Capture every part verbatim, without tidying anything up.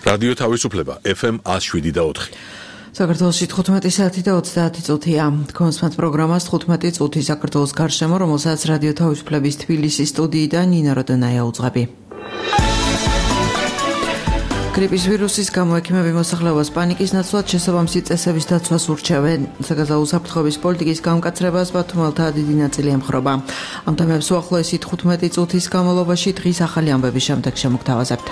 რადიო თავისუფლება ეფ ემ one oh seven და four. საქართველოში თხუთმეტი საათი და ოცდაათი წუთია. Თქვენს პროგრამას თხუთმეტი წუთი საქართველოს გარშემო, რომელსაც რადიო თავისუფლების თბილისის სტუდიიდან ნინა როდონაია უძღვები. გრიპის ვირუსის გამო ექიმები მოსახლეობას პანიკის ნაცვლად შესაბამისი წესების დაცვას ურჩევენ. საგაზაფხულო უსაფრთხოების პოლიტიკის გამკაცრებას ბათუმელთა დიდი ნაწილი ემხრობა. ამ თემებს უახლოესი თხუთმეტი წუთის განმავლობაში დღის ახალი ამბების შემდეგ შემოგთავაზებთ.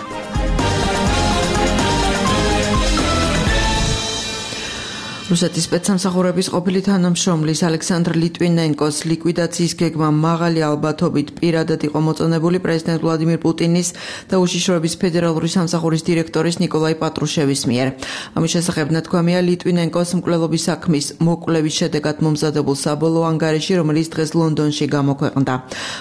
რუსეთის სპეცსამსახურების ყოფილი თანამშრომლის ალექსანდრ ლიტვინენკოს ლიკვიდაციის გეგმა მაღალი ალბათობით პირადად იყო მოწონებული პრეზიდენტ ვლადიმირ პუტინის და უშიშროების ფედერალური სამსახურის დირექტორის ნიკოლაი პატრუშევის მიერ. ამის შესახებ ნათქვამია ლიტვინენკოს მკვლელობის საქმის მოკვლევის შედეგად მომზადებულ საბოლოო ანგარიში, რომელიც დღეს ლონდონში გამოქვეყნდა.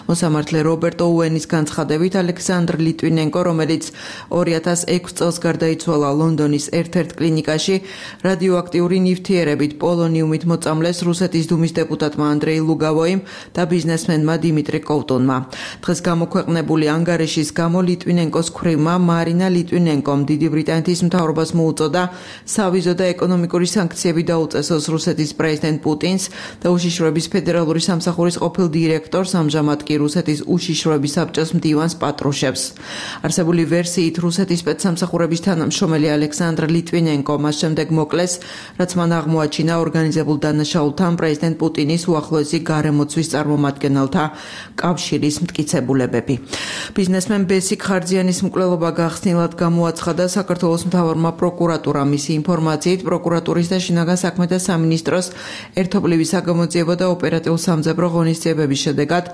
მოსამართლე რობერტ ოუენის განცხადებით, ალექსანდრ ლიტვინენკო, რომელიც ორი ათას ექვსი წელს გარდაიცვალა ლონდონის ერთ-ერთ კლინიკაში, რადიოაქტიური ნივთიერებით პოლონიუმით მოწამლეს რუსეთის დუმის დეპუტატმა ანდრეი ლუგავოიმ და ბიზნესმენმა დიმიტრი კოვტუნმა. დღეს გამოქვეყნებული ანგარიშის გამო ლიტვინენკოს ქვრივმა მარინა ლიტვინენკომ დიდი ბრიტანეთის მთავრობას მოუწოდა სავიზო და ეკონომიკური სანქციები დაუწესოს რუსეთის პრეზიდენტ პუტინს და უშიშროების ფედერალური სამსახურის ყოფილ დირექტორს, ამჟამად კი რუსეთის უშიშროების საბჭოს მდივანს პატრუშევს. არსებული ვერსიით რუსეთის სპეცსამსახურების თანამშრომელი ალექსანდრ ლიტვინენკო მას შემდეგ მოკლეს, რაც მან აღმოაჩინა ორგანიზებულ დანაშაულთან პრეზიდენტ პუტინის უახლოესი გარემოცვის წარმომადგენელთა კავშირის მტკიცებულებები. ბიზნესმენ ბესიკ ხარძიანის მკვლელობა გახსნილად გამოაცხადა საქართველოს მთავარმა პროკურატურამ. მისი ინფორმაციით, პროკურატურის და შინაგან საქმეთა სამინისტროს ერთობლივი საგამოძიებო და ოპერატიულ-სამძებრო ღონისძიებების შედეგად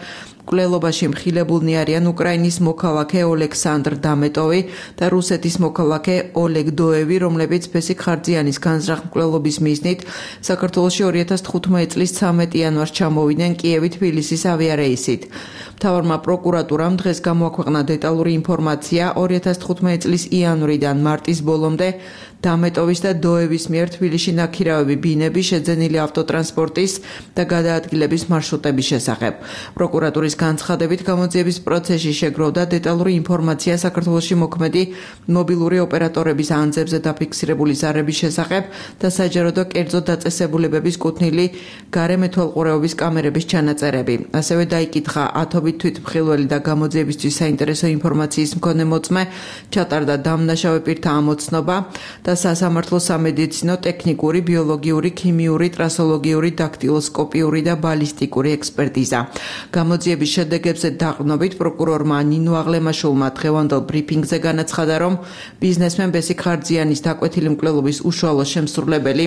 მკვლელობაში მხილებულნი არიან უკრაინის მოქალაქე ოლექსანდრ დამეტოვი და რუსეთის მოქალაქე ოლეგ დოევი, რომლებიც ბესიკ ხარძიანის განზრახ მკვლელობის მიზნით საქართველოში ორი ათას თხუთმეტი წლის ცამეტი იანვარს ჩამოვიდნენ კიევი-თბილისის ავიარეისით. მთავარმა პროკურატურამ დღეს გამოაქვეყნა დეტალური ინფორმაცია ორი ათას თხუთმეტი წლის იანვრიდან მარტის ბოლომდე დამეტოვის და დოევის მიერ თბილისში ნაქირავები ბინები, შეძენილი ავტოტრანსპორტის და გადაადგილების მარშრუტების შესახებ. პროკურატურის განცხადებით, გამოძიების პროცესში შეგროვდა დეტალური ინფორმაცია საქართველოში მოქმედი მობილური ოპერატორების ანძებზე დაფიქსირებული ზარების შესახებ და საჯარო და კერძო დაწესებულებების კუთვნილი გარემეთვალყურეობის კამერების ჩანაწერები. ასევე დაიკითხა ათობით თვითმხილველი და გამოძიებისთვის საინტერესო ინფორმაციის მქონე მოწმე, ჩატარდა დამნაშავე პირთა ამოცნობა და სასამართლო სამედიცინო, ტექნიკური, ბიოლოგიური, ქიმიური, ტრასოლოგიური, დაქტილოსკოპიური და ბალისტიკური ექსპერტიზა. გამოძიების შედეგებზე დაყრდნობით პროკურორმა ნინო აღლემაშულმა დღევანდელ ბრიფინგზე განაცხადა, რომ ბიზნესმენ ბესიკ ხარძიანის დაკვეთილი მკვლელობის უშუალო შემსრულებელი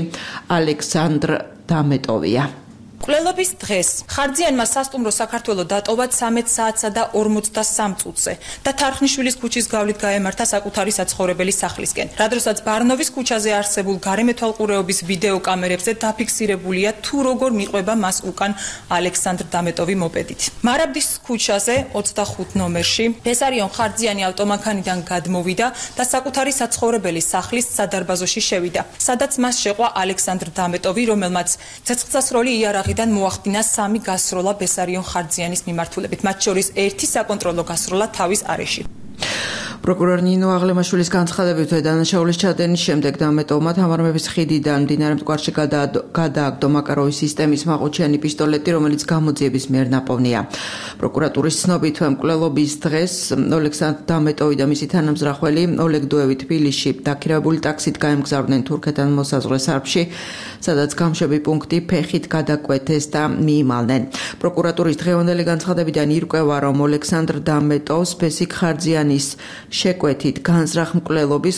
ალექსანდრ დამეტოვია. მკვლელობის დღეს ხარძიანმა სასტუმრო საქართველოს დატოვა ცამეტ საათსა და ორმოცდასამ წუთზე და თარხნიშვილის ქუჩის გავლით გაემართა საკუთარი საცხოვრებელი სახლისკენ. რადგანაც ბარნოვის ქუჩაზე არსებულ გარემეთვალყურეობის ვიდეო კამერებზე დაფიქსირებულია თუ როგორ მიყვება მას უკან ალექსანდრ დამეტოვი მოპედით. მარაბდის ქუჩაზე ოცდახუთ ნომერში ბესარიონ ხარძიანი ავტომანქანიდან გადმოვიდა და საკუთარი საცხოვრებელი სახლის სადარბაზოში შევიდა, სადაც მას შეყვა ალექსანდრ დამეტოვი, რომელმაც ცეცხლსასროლი იარაღი დან მოახდინა სამი გასროლა ბესარიონ ხარძიანის მიმართულებით, მათ შორის ერთი საკონტროლო გასროლა თავის არეში. პროკურორ ნინო აღლემაშვილის განცხადებით, დანაშაულის ჩადენის შემდეგ დამეტოვმა თამარმების ხიდიდან მდინარე მტკვარში გადააგდო მაკაროვის სისტემის მაყუჩიანი პისტოლეტი, რომელიც გამოძიების მიერ ნაპოვნია. პროკურატურის ცნობით, მკვლელობის დღეს ოლექსანდრ დამეტოვი და მისი თანამზრახველი ოლეგ დოევი თბილისში დაქირავებული ტაქსით გაემგზავრნენ თურქეთთან მოსაზღვრე სარფში, სადაც გამშვები პუნქტი ფეხით გადაკვეთეს და მიიმალნენ. პროკურატურის დღევანდელი განცხადებიდან ირკვევა, რომ ოლექსანდრ დამეტოვს ბესიკ ხარძიანის შეკვეთით განზრახ მკვლელობის,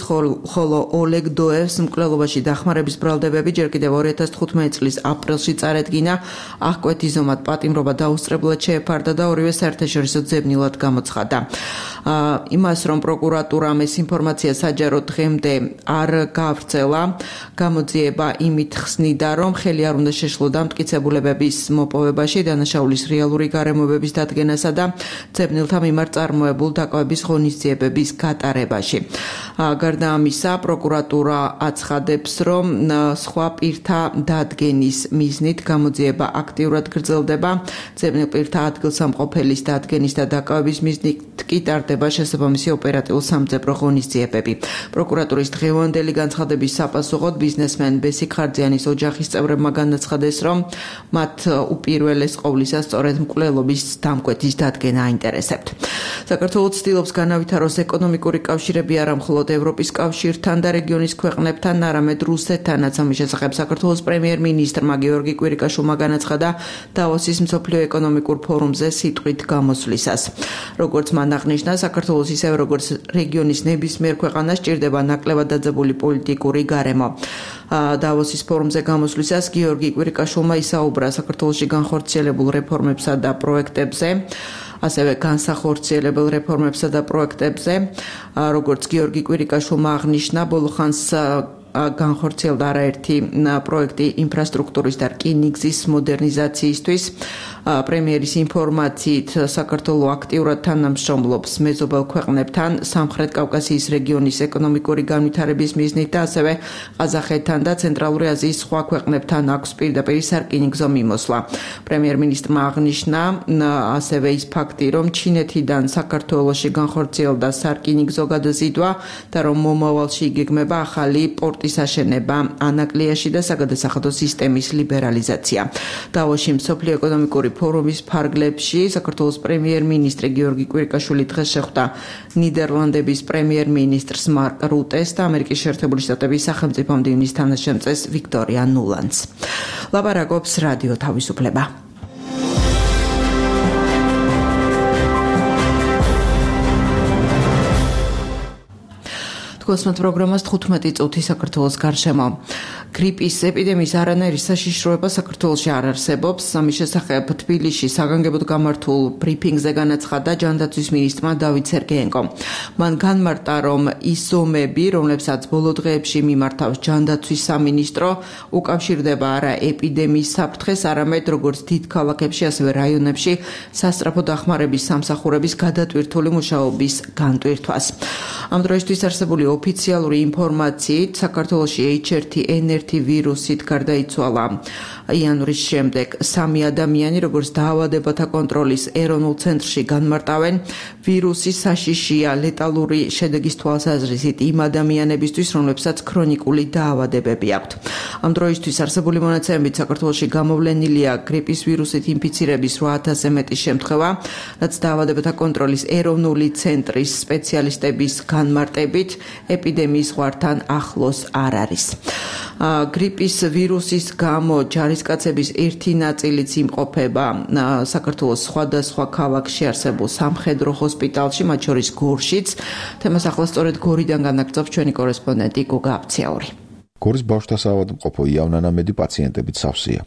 ხოლო ოლეგ დოევს მკვლელობაში დახმარების ბრალდებები ჯერ კიდევ ორი ათას თხუთმეტი წლის აპრილში წარედგინა, აღკვეთიზომად პატიმრობა დაუსწრებლად შეეფარდა და ორივე საერთაშორისო ძებნილად გამოცხადა. იმას, რომ პროკურატურამ ეს ინფორმაცია საჯარო დღემდე არ გაავრცელა, გამოძიება იმით ხსნიდა, რომ ხელი არ უნდა შეშლოდა მტკიცებულებების მოპოვებაში, დანაშაულის რეალური გარემოებების დადგენასა და ძებნილთა მიმართ წარმოებულ დაკავების ღონისძიებების ოპერაციის გატარებაში. გარდა ამისა, პროკურატურა აცხადებს, რომ სხვა პირთა დადგენის მიზნით გამოძიება აქტიურად გრძელდება. ძებნილ პირთა ადგილსამყოფელის დადგენის და დაკავების მიზნით კი ტარდება შესაბამისი ოპერატიულ სამძებრო ღონისძიებები. პროკურატურის დღევანდელი განცხადების საპასუხოდ ბიზნესმენ ბესიკ ხარძიანის ოჯახის წევრებმა განაცხადეს, რომ მათ უპირველეს ყოვლისა სწორედ მკვლელობის დამკვეთის დადგენა აინტერესებთ. საქართველოს ცდილობს განავითაროს ეკონომიკური კავშირები არა მხოლოდ ევროპის კავშირთან და რეგიონის ქვეყნებთან, არამედ რუსეთთანაც. ამის შესახებ საქართველოს პრემიერ-მინისტრმა გიორგი კვირიკაშვილმა განაცხადა დავოსის მსოფლიო ეკონომიკურ ფორუმზე სიტყვით გამოსვლისას. როგორც მან აღნიშნა, საქართველოს ისევე როგორც რეგიონის ნებისმიერ ქვეყანას ჭირდება ნაკლებად დაძაბული პოლიტიკური გარემო. დავოსის ფორუმზე გამოსვლისას გიორგი კვირიკაშვილმა ისაუბრა საქართველოში განხორციელებულ რეფორმებსა და პროექტებზე, ასევე განსახორციელებელ რეფორმებსა და პროექტებზე, როგორც გიორგი კვირიკაშვილმა აღნიშნა, ბოლო ხანს განხორციელდა არაერთი პროექტი ინფრასტრუქტურის და რკინიგზის მოდერნიზაციისთვის. პრემიერის ინფორმაციით, საქართველო აქტიურად თანამშრომლობს მეზობელ ქვეყნებთან, სამხრეთ კავკასიის რეგიონის ეკონომიკური განვითარების მიზნით და ასევე ყაზახეთთან და ცენტრალური აზიის სხვა ქვეყნებთან აქვს პირდაპირ სარკინიგზო მიმოსვლა. პრემიერ-მინისტრმა აღნიშნა ასევე ის ფაქტი, რომ ჩინეთიდან საქართველოში განხორციელდა სარკინიგზო გადაზიდვა და რომ მომავალში იგეგმება ახალი პორტის აშენება ანაკლიაში და საგადასახადო სისტემის ლიბერალიზაცია. დავოსში მსოფლიო ეკონომიკური ფორუმის ფარგლებში საქართველოს პრემიერ-მინისტრი გიორგი კვირიკაშვილი დღეს შეხვდა ნიდერლანდების პრემიერ-მინისტრს მარკ რუტეს და ამერიკის შეერთებული შტატების სახელმწიფო მდივნის თანაშემწეს ვიქტორია ნულანდს. ლაპარაკობს რადიო თავისუფლება. კოსმოთ პროგრამას თხუთმეტი წუთი საქართველოს გარშემო. გრიპის ეპიდემიის არანაირი საშიშროება საქართველოში არ არსებობს. ამის შესახებ თბილისში საგანგებოდ გამართულ ბრიფინგზე განაცხადა ჯანდაცვის მინისტრმა დავით სერგეენკომ. მან განმარტა, რომ ის ზომები, რომლებსაც ბოლო დღეებში მიმართავს ჯანდაცვის სამინისტრო, უკავშირდება არა ეპიდემიის საფრთხეს, არამედ როგორც დიდ ქალაქებში, ასევე რაიონებში სასწრაფო დახმარების სამსახურების გადატვირთული მუშაობის განტვირთვას. ამ დროისთვის არსებული ოფიციალური ინფორმაციით საქართველოში ეიჩ ერთი ენ ერთი ვირუსით გარდაიცვალა იანვრის შემდეგ სამი ადამიანი, როგორც დაავადებათა კონტროლის ეროვნულ ცენტრში განმარტავენ, ვირუსი საშიშია ლეტალური შედეგის თვალსაზრისით იმ ადამიანებისთვის, რომლებსაც ქრონიკული დაავადებები აქვთ. ამ დროისთვის არსებული მონაცემებით საქართველოში გამოვლენილია გრიპის ვირუსით ინფიცირების რვა ათასზე მეტი შემთხვევა, რაც დაავადებათა კონტროლის ეროვნული ცენტრის სპეციალისტების განმარტებით ეპიდემიის ზღვართან ახლოს არ არის. გრიპის ვირუსის გამო ჯარისკაცების ერთი ნაწილიც იმყოფება საქართველოს სხვადასხვა ქალაქში არსებულ სამხედრო ჰოსპიტალში, მათ შორის გორშიც. თემას ახლა სწორედ გორიდან განაგრძობს ჩვენი კორესპონდენტი გუგა აფციაური. გორის ბავშვთა საავადმყოფო იავნანამედი პაციენტებით სავსეა.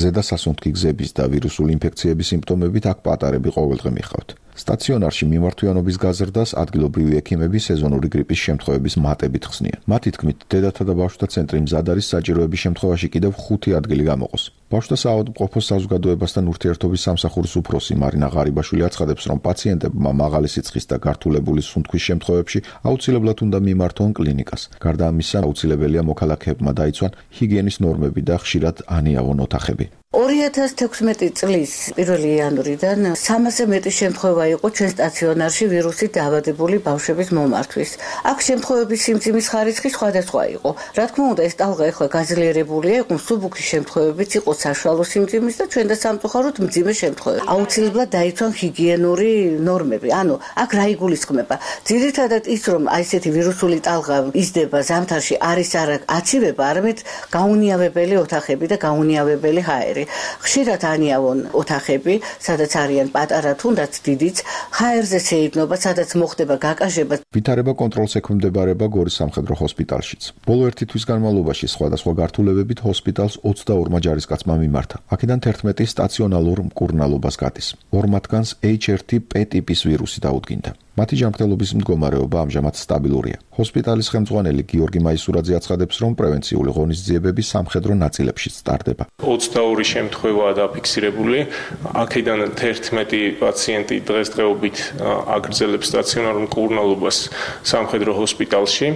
ზედა სასუნთქი გზების და ვირუსული ინფექციების სიმპტომებით აქ პატარები ყოველდღე მიხავთ. სტაციონარში მიმართვიანობის გაზრდას ადგილობრივი ექიმები სეზონური გრიპის შემთხვევების მატებით ხსნიან. მათი თქმით, დედათა და ბავშვთა ცენტრი მზად არის საჭიროების შემთხვევაში კიდევ ხუთი ადგილი გამოყოს. ბავშვთა საავადმყოფოს საზოგადოებასთან ურთიერთობის სამსახურის უფროსი მარინა ღარიბაშვილი აცხადებს, რომ პაციენტებმა მაღალი სიცხის და გართულებული სუნთქვის შემთხვევებში აუცილებლად უნდა მიმართონ კლინიკას. გარდა ამისა, აუცილებელია მოქალაქეებმა დაიცვან ჰიგიენის ნორმები და ხშირად ანიავონ ოთახები. ორი ათას თექვსმეტი წლის პირველი იანვრიდან სამასზე მეტი შემთხვევა იყო ჩვენ სტაციონარში ვირუსით დაავადებული ბავშვების მომართვის. აქ შემთხვევების სიმძიმის ხარისხი სხვადასხვა იყო. რა თქმა უნდა, ეს ტალღა ახლა გაძლიერებულია, იყო მსუბუქი შემთხვევებიც, იყო საშუალო სიმძიმის და ჩვენ და სამწუხაროდ მძიმე შემთხვევები. აუცილებლად დაიცვან ჰიგიენური ნორმები. ანუ აქ რა იგულისხმება? ძირითადად ის, რომ აი ესეთი ვირუსული ტალღა იზრდება ზამთარში, არის არა აცივება, არამედ გაუნიავებელი ოთახები და გაუნიავებელი ჰაერი. ხშირად ანიავონ ოთახები, სადაც არიან პატარა თუნდაც დიდიც, ჰაერზე შეიქმნება, სადაც მოხდება გაკაჟება. ვითარება კონტროლს ექვემდებარება გორის სამხედრო ჰოსპიტალშიც. ბოლო ერთი თვის განმავლობაში სხვადასხვა გართულებებით ჰოსპიტალს ოცდაორმა ჯარისკაცმა მიმართა. აქედან თერთმეტი სტაციონალურ მკურნალობას გადის. ორ მათგანს ეიჩ ერთი პე ტიპის ვირუსი დაუდგინდა. მათი ჯანმრთელობის მდგომარეობა ამჟამად სტაბილურია. ჰოსპიტალის ხელმძღვანელი გიორგი მაისურაძე აცხადებს, რომ პრევენციული ღონისძიებები სამხედრო ნაწილებშიც ტარდება. ოცდაორი შემთხვევაა დაფიქსირებული. აქედან თერთმეტი პაციენტი დღესდღეობით აგრძელებს სტაციონარულ მკურნალობას სამხედრო ჰოსპიტალში.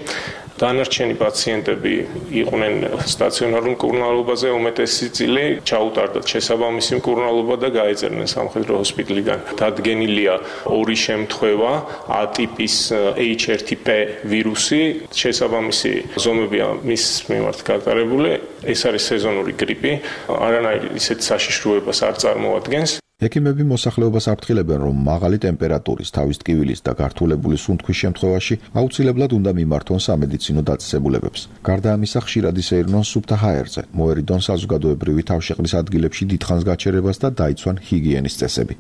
დანარჩენი პაციენტები იყვნენ სტაციონარულ მკურნალობაზე, უმეტესი წილი ჩაუტარდათ შესაბამისი მკურნალობა და გაეწერნენ სამხედრო ჰოსპიტალიდან. დადგენილია ორი შემთხვევა A ტიპის H one N one ვირუსი, შესაბამისი ზომებია მის მიმართ გატარებული. ეს არის სეზონური გრიპი, არანაირ ისეთ საშიშროებას არ წარმოადგენს. ექიმები მოსახლეობას აფრთხილებენ, რომ მაღალი ტემპერატურის, თავის ტკივილის და გართულებული სუნთქვის შემთხვევაში აუცილებლად უნდა მიმართონ სამედიცინო დაწესებულებებს. გარდა ამისა, ხშირად ისეირნონ სუფთა ჰაერზე, მოერიდონ საზოგადოებრივი თავშეყრის ადგილებში დიდხანს გაჩერებას და დაიცვან ჰიგიენის წესები.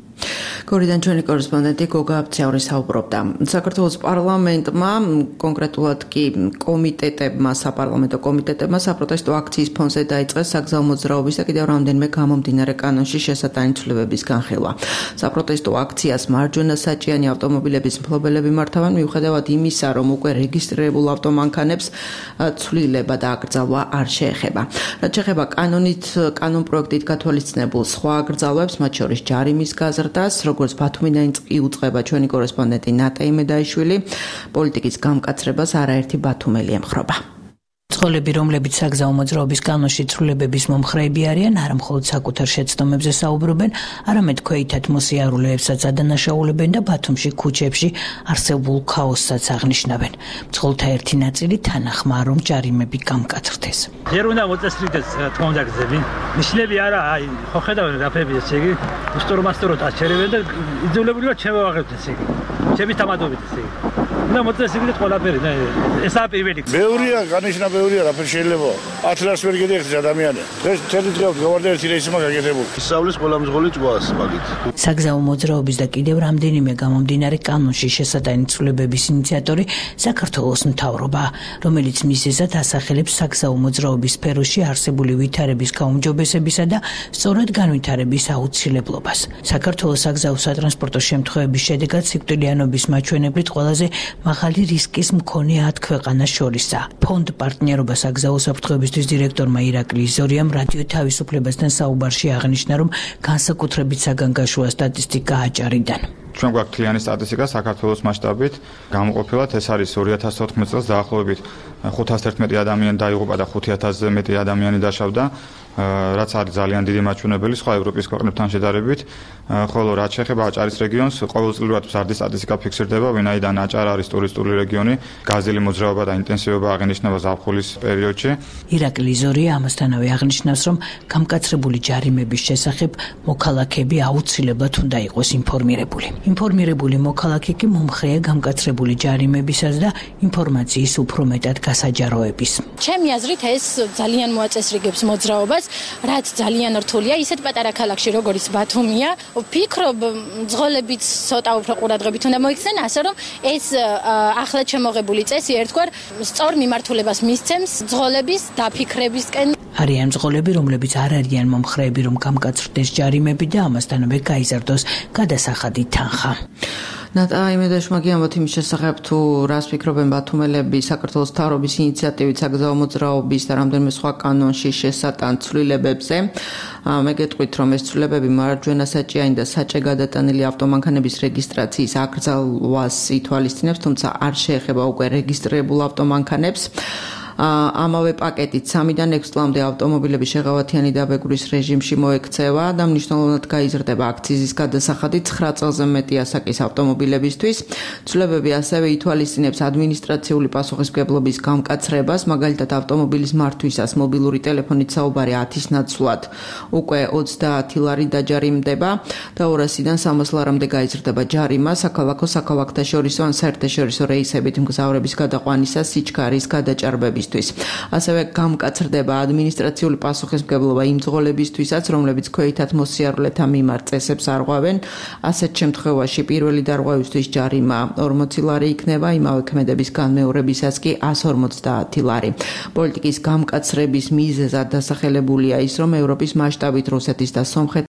გორიდან ჩვენი კორესპონდენტი გოგა აბციაური საუბრობდა. საქართველოს პარლამენტმა, კონკრეტულად კი კომიტეტებმა, საპარლამენტო კომიტეტებმა საპროტესტო აქციის ფონზე დაიწყეს საგზაო მოძრაობის და კიდევ რამდენიმე გამომდინარე კანონში შესატანი ცვლილებების განხილვა. საპროტესტო აქციას მარჯვენა საჭიანი ავტომობილების მფლობელები მართავენ, მიუხედავად იმისა, რომ უკვე რეგისტრირებულ ავტომანქანებს ცვლილება და აკრძალვა არ შეეხება. რაც შეეხება კანონით, კანონ პროექტით გათვალისწინებულ სხვა აკრძალვებს, მათ შორის ჯარიმის გაზრდას, როგორც ბათუმიდან იუწყება ჩვენი კორესპონდენტი ნატა იმედაიშვილი, პოლიტიკის გამკაცრებას არაერთი ბათუმელი ემხრობა. მძღოლები, რომლებიც საგზაო მოძრაობის კანონში ცვლილებების მომხრეები არიან, არა მხოლოდ საკუთარ შეცდომებზე საუბრობენ, არამედ ქვეითად მოსიარულეებსაც ადანაშაულებენ და ბათუმში ქუჩებში არსებულ ქაოსსაც აღნიშნავენ. მძღოლთა ერთი ნაწილი თანახმაა, რომ ჯარიმები გამკაცრდეს. ჯერ უნდა მოწესრიგდეს, რა თქმა უნდა, გზები. ნიშნები არა, აი, ხო ხედავენ რაფები ესე იგი, უსტორმასტოროთ აჩერებენ და იძულებულია ჩემო აღებთ ესე იგი. ჩემის თამადობით ესე იგი. უნდა მოწესრიგდეს ყველაფერი, და ესაა პირველი. ბევრია, განიშნა ბევრია, რაფერი შეიძლება. ათი ლარს ვერ გედიხდეს ადამიანი. ეს თერთი დღე გავარდა ერთი რეისი მაგაგეთებული. ისავლის ყველა მძღოლი ჭვას მაგით. საგზაო მოძრაობის და კიდევ რამდენიმე გამომდინარე კანონში შესატანი ცვლილებების ინიციატორი საქართველოს მთავრობა, რომელიც მიზეზად ასახელებს საგზაო მოძრაობის სფეროში არსებული ვითარების გაუმჯობესებისა და სწორად განვითარების აუცილებლობას. საქართველოს საგზაო სატრანსპორტო შემთხვევების შედეგად სიკვდილიანობის მაჩვენებლით ყველაზე მაღალი რისკის მქონე ათ ქვეყანას შორისაა. ფონდ პარტნიორობა საგზაო საფრთხეებისთვის დირექტორმა ირაკლი იზორიამ რადიო თავისუფლებასთან საუბარში აღნიშნა, რომ განსაკუთრებით საგანგაშოა სტატისტიკა აჭარიდან. ჩვენ გვაქვს მთლიანი სტატისტიკა საქართველოს მასშტაბით, გამოყოფილად ეს არის ორი ათას თოთხმეტ წელს დაახლოებით ხუთას ერთმეტი ადამიანი დაიღუპა და ხუთი ათასზე მეტი ადამიანი დაშავდა, რაც არის ძალიან დიდი მაჩვენებელი სხვა ევროპის ქვეყნებთან შედარებით, ხოლო რაც შეეხება აჭარის რეგიონს, ყოველწლიურად მზარდი სტატისტიკა ფიქსირდება, ვინაიდან აჭარა არის ტურისტული რეგიონი, გაზელი მოძრაობა და ინტენსივობა აღინიშნება ზაფხულის პერიოდში. ირაკლი იზორია ამასთანავე აღნიშნავს, რომ გამკაცრებული ჯარიმების შესახებ მოქალაქეები აუცილებლად უნდა იყოს ინფორმირებული. ინფორმირებული მოქალაქე კი მომხრეა გამკაცრებული ჯარიმებისაც და ინფორმაციის უფრო მეტად გასაჯაროების. ჩემი აზრით ეს ძალიან მოაწესრიგებს მოძრაობას, რაც ძალიან რთულია, ისეთ პატარა ქალაქში როგორც ბათუმია. ვფიქრობ, მძღოლებიც ცოტა უფრო ყურადღებით უნდა მოიქცნენ, ასე რომ ეს ახლად შემოღებული წესი ერთგვარ სწორ მიმართულებას მისცემს მძღოლების დაფიქრებისკენ. არიან მძღოლები, რომლებიც არ არიან მომხრეები, რომ გამკაცრდეს ჯარიმები და ამასთანავე გაიზარდოს გადასახადი თანხა. ნატა იმედაშმა გიამბობთ იმის შესახებ, თუ რას ფიქრობენ ბათუმელები საქართველოს მთავრობის ინიციატივით საგზაო მოძრაობის და რამდენიმე სხვა კანონში შესატან ცვლილებებზე. მე გეტყვით, რომ ეს ცვლილებები მარჯვენა საჭიანი და საჭე გადატანილი ავტომანქანების რეგისტრაციის აკრძალვას ითვალისწინებს, თუმცა არ შეეხება უკვე რეგისტრირებულ ავტომანქანებს. ამავე პაკეტით სამიდან ექვსი წლამდე ავტომობილების შეღავათიანი დაბეგვრის რეჟიმში მოექცევა და მნიშვნელოვნად გაიზრდება აქციზის გადასახადი ცხრა წელზე მეტი ასაკის ავტომობილებისთვის. ცვლილებები ასევე ითვალისწინებს ადმინისტრაციული პასუხისმგებლობის გამკაცრებას, მაგალითად ავტომობილის მართვისას მობილური ტელეფონით საუბარი ათის ნაცვლად უკვე ოცდაათი ლარი დაჯარიმდება და ორასიდან სამას ლარამდე გაიზრდება ჯარიმა საქალაქო საქალაქთაშორისო ან საერთაშორისო რეისებით მგზავრების გადაყვანისას სიჩქარის გადაჭარბების. ასევე გამკაცრდება ადმინისტრაციული პასუხისმგებლობა იმ მძღოლებისთვისაც, რომლებიც ქვეითად მოსიარულეთა მიმართ წესებს არღვევენ. ასეთ შემთხვევაში პირველი დარღვევისთვის ჯარიმა ორმოცი ლარი იქნება, იმავე ქმედების განმეორებისას კი ასი ორმოცდაათი ლარი. პოლიტიკის გამკაცრების მიზეზად დასახელებულია ის, რომ ევროპის მასშტაბით რუსეთის და სომხეთის